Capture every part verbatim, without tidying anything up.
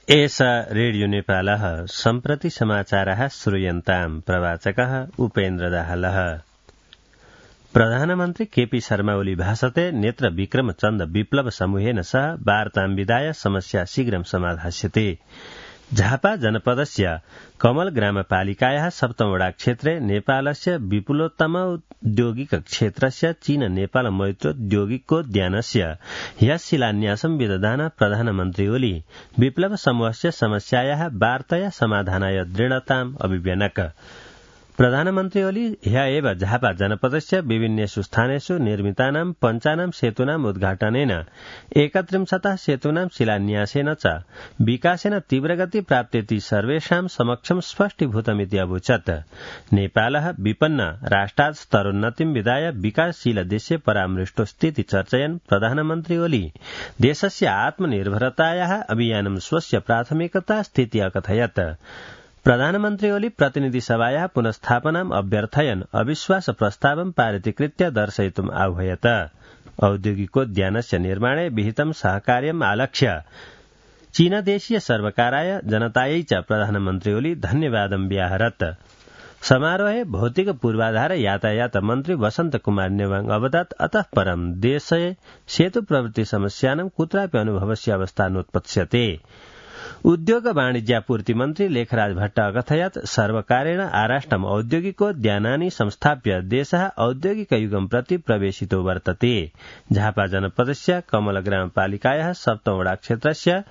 एषा रेडियो नेपालः सम्प्रति समाचारः श्रूयन्ताम् प्रवाचकः उपेन्द्र दाहालः। प्रधानमन्त्री केपी शर्मा ओली भाषते नेत्र विक्रम चन्द विप्लव समूहेन सह वार्तां विधाय समस्या शीघ्रं समाधास्यते। झापा जनपदस्य कमल ग्रामपालिकायाः सप्तमवडा क्षेत्रे नेपालस्य विपुलोत्तम औद्योगिक क्षेत्रस्य चीन नेपाल मैत्रोद्योगिकोद्यानस्य ह्यः शिलान्यासं विदधान प्रधानमन्त्री ओली विप्लव समूहस्य समस्यायाः वार्तया समाधानाय दृढताम् अभिव्यनक। प्रधानमन्त्री ओली ह्यः एव झापा जनपदस्य विभिन्नेषु स्थानेषु निर्मितानां पञ्चानां सेतूनाम् उद्घाटनेन एकत्रिंशतः सेतूनां शिलान्यासेन च विकासेन तीव्रगति प्राप्तेति सर्वेषां समक्षं स्पष्टीभूतमिति अवोचत्। नेपालः विपन्न राष्ट्रात् स्तरोन्नतिं विधाय विकासशील देशे परामृष्टोऽस्तीति चर्चयन् प्रधानमन्त्री ओली देशस्य आत्मनिर्भरतायाः अभियानं स्वस्य प्राथमिकता स्थिति अकथयत्। प्रधानमन्त्री ओली प्रतिनिधि सभायाः पुनस्थापनाम् अभ्यर्थयन् अविश्वास प्रस्तावं पारितीकृत्य दर्शयितुम् आह्वयत। औद्योगिकोद्यानस्य निर्माणे विहितं सहकार्यम् आलक्ष्य चीनदेशीय सर्वकाराय जनतायै च प्रधानमन्त्री ओली धन्यवादं व्याहरत्। समारोहे भौतिक पूर्वाधार यातायात मन्त्री वसन्त कुमार नेवाङ अवदत् अतः परं देशे सेतु प्रवृत्ति समस्यानां कुत्रापि अनुभवस्य अवस्था नोत्पत्स्यते। उद्योग वाणिज्यापूर्ति मन्त्री लेखराज भट्ट अकथयत् सर्वकारेण आराष्ट्रम् औद्योगिकोद्यानानि संस्थाप्य देशः औद्योगिकयुगं प्रति प्रवेशितो वर्तते। झापा जनपदस्य कमल ग्रामपालिकायाः सप्तमवडा क्षेत्रस्य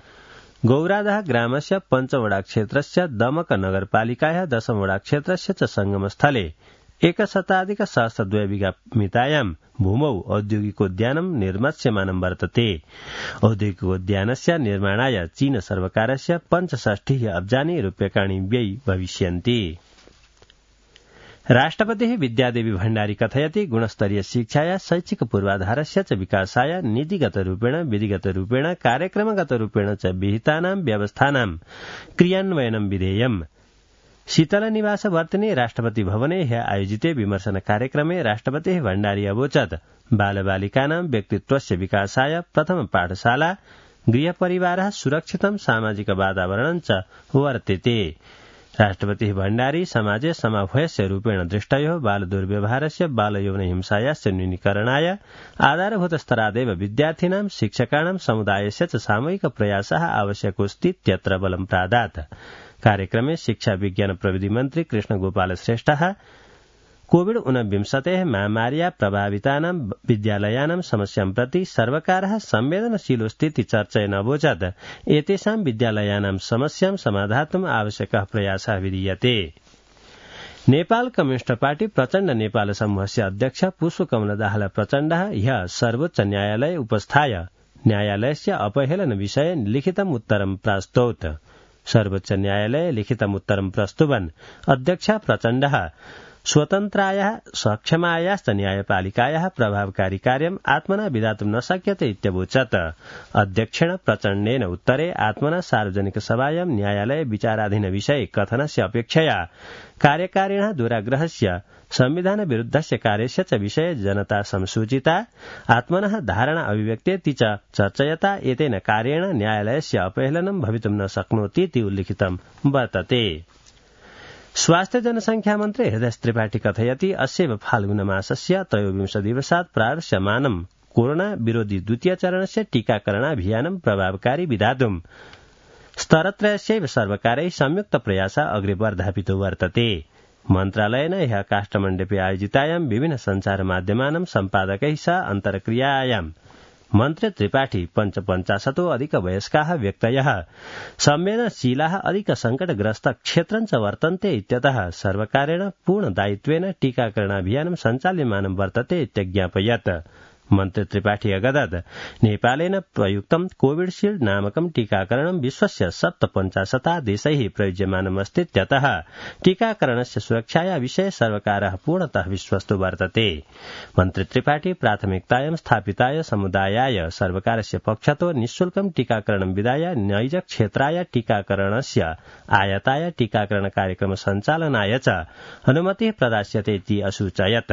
गौरादह ग्रामस्य पञ्चमवडा क्षेत्रस्य दमक नगरपालिकायाः दशमवडा क्षेत्रस्य च संगमस्थले एकशताधिक सहस्रद्वय बिघामितायां भूमौ औद्योगिकोद्यानं निर्मास्यमानं वर्तते। औद्योगिकोद्यानस्य निर्माणाय चीन सर्वकारस्य पञ्चषष्टिः अब्जानि रूप्यकाणि व्ययी भविष्यन्ति। राष्ट्रपतिः विद्यादेवी भण्डारी कथयति गुणस्तरीय शिक्षाया शैक्षिक पूर्वाधारस्य च विकासाय नीतिगतरूपेण विधिगतरूपेण कार्यक्रमगतरूपेण च विहितानां व्यवस्थानां क्रियान्वयनं विधेयम्। शीतल निवास वर्तिने राष्ट्रपति भवने ह्यः आयोजिते विमर्शन कार्यक्रमे राष्ट्रपतिः भण्डारी अवोचत् बालबालिकानां व्यक्तित्वस्य विकासाय प्रथम पाठशाला गृहपरिवारः सुरक्षितं सामाजिक वातावरणं च वर्तेते। राष्ट्रपतिः भण्डारी समाजे समभयस्य रूपेण दृष्टयोः बालदुर्व्यवहारस्य बालयौन हिंसायाश्च न्यूनीकरणाय आधारभूत स्तरादेव विद्यार्थिनां शिक्षकाणां समुदायस्य च सामूहिक प्रयासः आवश्यकोऽस्तीत्यत्र बलं प्रादात्। कार्यक्रमे शिक्षा विज्ञान प्रविधि मन्त्री कृष्ण गोपाल श्रेष्ठः कोविड ऊनविंशतेः महामार्या प्रभावितानां विद्यालयानां समस्यां प्रति सर्वकारः संवेदनशीलोऽस्तीति चर्चयन् अवोचत् एतेषां विद्यालयानां समस्यां समाधातुम् आवश्यकः प्रयासः विधीयते। नेपाल कम्युनिस्ट पार्टी प्रचण्ड नेपाल समूहस्य अध्यक्ष पुष्पकमल दाहाल प्रचण्डः ह्यः सर्वोच्च न्यायालये उपस्थाय न्यायालयस्य अपहेलन विषये लिखितम् उत्तरं प्रास्तौत्। सर्वोच्च न्यायालये लिखितम् उत्तरं प्रस्तुवन् अध्यक्ष प्रचण्डः स्वतन्त्रायाः सक्षमायाश्च न्यायपालिकायाः प्रभावकारी कार्यम् आत्मना विधातुं न शक्यते इत्यवोचत्। अध्यक्षेण प्रचण्डेन उत्तरे आत्मना सार्वजनिक सभायां न्यायालये विचाराधीन विषये कथनस्य अपेक्षया कार्यकारिणः दुराग्रहस्य संविधान विरुद्धस्य कार्यस्य च विषये जनता संसूचिता आत्मनः धारणा अभिव्यक्तेति च चर्चयता एतेन कार्येण न्यायालयस्य अपहेलनं भवितुं न शक्नोतीति उल्लिखितं वर्तते। स्वास्थ्य जनसंख्या मन्त्री हृदय त्रिपाठी कथयति अस्यैव फाल्गुनमासस्य त्रयोविंश दिवसात् प्रारप्स्यमानं कोरोना विरोधी द्वितीय चरणस्य टीकाकरणाभियानं प्रभावकारी विधातुं स्तरत्रयस्यैव सर्वकारैः संयुक्त प्रयासः अग्रे वर्धापितो वर्तते। मन्त्रालयेन ह्यः काष्ठमण्डपे आयोजितायां विभिन्न सञ्चार माध्यमानां सम्पादकैः सह अन्तर्क्रियायां मन्त्री त्रिपाठी पञ्चपञ्चाशतो अधिक वयस्काः व्यक्तयः संवेदनशीलाः अधिक संकटग्रस्त क्षेत्रं च वर्तन्ते इत्यतः सर्वकारेण पूर्ण दायित्वेन टीकाकरणाभियानं सञ्चाल्यमानं वर्तते इत्यज्ञापयत्। मन्त्री त्रिपाठी अगदत् नेपालेन प्रयुक्तं कोविडशील्ड नामकं टीकाकरणं विश्वस्य सप्तपञ्चाशता देशैः प्रयुज्यमानमस्तीत्यतः टीकाकरणस्य सुरक्षाया विषये सर्वकारः पूर्णतः विश्वस्तो वर्तते। मन्त्री त्रिपाठी प्राथमिकतायां स्थापिताय समुदायाय सर्वकारस्य पक्षतो निःशुल्कं टीकाकरणं विधाय नैज क्षेत्राय टीकाकरणस्य आयताय टीकाकरण कार्यक्रम सञ्चालनाय च अनुमतिः प्रदास्यते इति असूचयत्।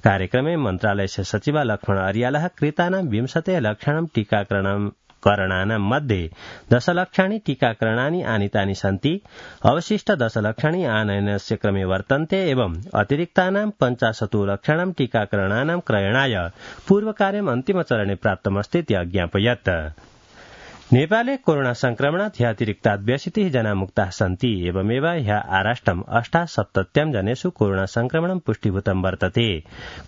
कार्यक्रमे मन्त्रालयस्य सचिव लक्ष्मण अर्यालः कृतानां विंशते लक्षणं टीकाकरणं टीकाकरणानां मध्ये दशलक्षाणि टीकाकरणानि आनीतानि सन्ति। अवशिष्ट दशलक्षाणि आनयनस्य क्रमे वर्तन्ते एवं अतिरिक्तानां पञ्चाशतो लक्षाणां टीकाकरणानां क्रयणाय पूर्वकार्यम् अन्तिमचरणे प्राप्तमस्तीति अज्ञापयत्। नेपाले कोरोना संक्रमणात् ह्य अतिरिक्तात् व्यशीतिः जना मुक्ताः सन्ति। एवमेव ह्य आराष्ट्रम् अष्टासप्तत्यां जनेषु कोरोना संक्रमणं पुष्टीभूतं वर्तते।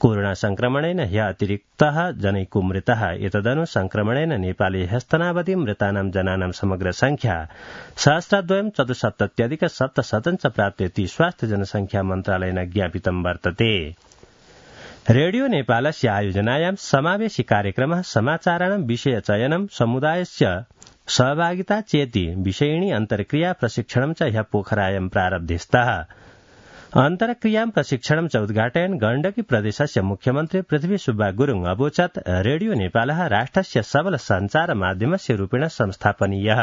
कोरोना संक्रमणेन ह्य अतिरिक्तः जनैको मृतः। एतदनु संक्रमणेन नेपाले ह्यस्तनावधि मृतानां जनानां समग्र संख्या सहस्रद्वयं चतुस्सप्तत्यधिक सप्तशतं च प्राप्तेति स्वास्थ्य जनसंख्या मन्त्रालयेन ज्ञापितं वर्तते। रेडियो नेपालस्य आयोजनायां समावेशी कार्यक्रमः समाचाराणां विषयचयनं समुदायस्य सहभागिता चेति विषयिणी अन्तर्क्रिया प्रशिक्षणं च ह्यः पोखरायां प्रारब्धस्तः। अन्तर्क्रियां प्रशिक्षणं च उद्घाटयन् गण्डकी प्रदेशस्य मुख्यमन्त्री पृथ्वी सुब्बा गुरुङ अवोचत् रेडियो नेपालः राष्ट्रस्य सबल सञ्चार माध्यमस्य रूपेण संस्थापनीयः।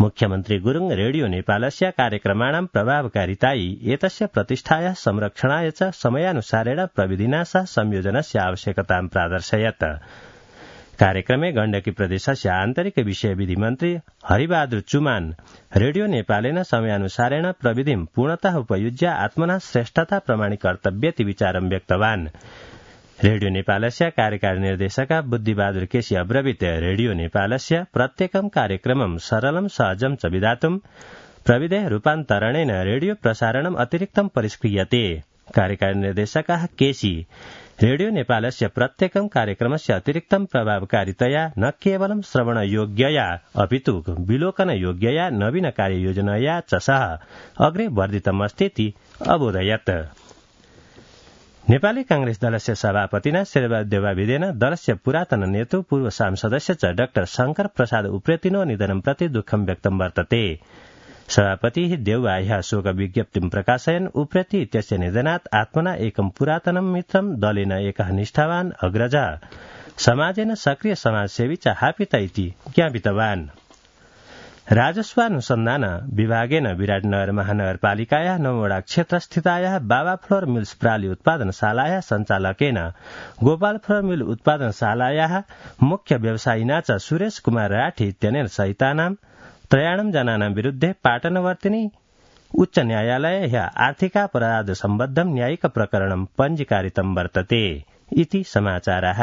मुख्यमन्त्री गुरुङ रेडियो नेपालस्य कार्यक्रमाणां प्रभावकारितायै एतस्य प्रतिष्ठायाः संरक्षणाय च समयानुसारेण प्रविधिना सह संयोजनस्य आवश्यकतां प्रादर्शयत्। कार्यक्रमे गण्डकी प्रदेशस्य आन्तरिक विषय विधि मन्त्री हरिबहादुर चुमान रेडियो नेपालेन समयानुसारेण प्रविधिं पूर्णतः उपयुज्य आत्मना श्रेष्ठता प्रमाणीकर्तव्येति विचारं व्यक्तवान्। रेडियो नेपालस्य कार्यकारी निर्देशक बुद्धिबहादुर केसी अब्रवीत रेडियो नेपालस्य प्रत्येकं कार्यक्रमं सरलं सहजं च विधातुं प्रविधेः रूपान्तरणेन रेडियो प्रसारणम् अतिरिक्तं परिष्क्रियते। कार्यकारी निर्देशकः केसी रेडियो नेपालस्य प्रत्येकं कार्यक्रमस्य अतिरिक्तं प्रभावकारितया न केवलं श्रवणयोग्यया अपितु विलोकनयोग्यया नवीन कार्ययोजनया च सह अग्रे वर्धितमस्तीति अबोधयत्। नेपाली कांग्रेस दलस्य सभापतिना शेरबहादुर देवाविदेन दलस्य पुरातन नेतृ पूर्व सांसदस्य च डाक्टर शंकर प्रसाद उप्रेतिनो निधनं प्रति दुःखं व्यक्तं वर्तते। सभापतिः देउवा ह्यः शोक विज्ञप्तिं प्रकाशयन् उप्रेति इत्यस्य निधनात् आत्मना एकं पुरातनं मित्रं दलेन एकः निष्ठावान् अग्रजः समाजेन सक्रिय समाजसेवी च हापित इति ज्ञापितवान्। राजस्वानुसन्धान विभागेन विराटनगर महानगरपालिकायाः नववटा क्षेत्रस्थितायाः बाबा फ्लोर मिल्स प्राली उत्पादनशालायाः सञ्चालकेन गोपाल फ्लोर मिल उत्पादनशालायाः मुख्य व्यवसायिना च सुरेश कुमार राठी इत्यनेन सहितानां त्रयाणं जनानां विरुद्धे पाटनवर्तिनी उच्च न्यायालये ह्यः आर्थिकापराध सम्बद्धं न्यायिक प्रकरणं पञ्जीकारितं वर्तते इति समाचारः।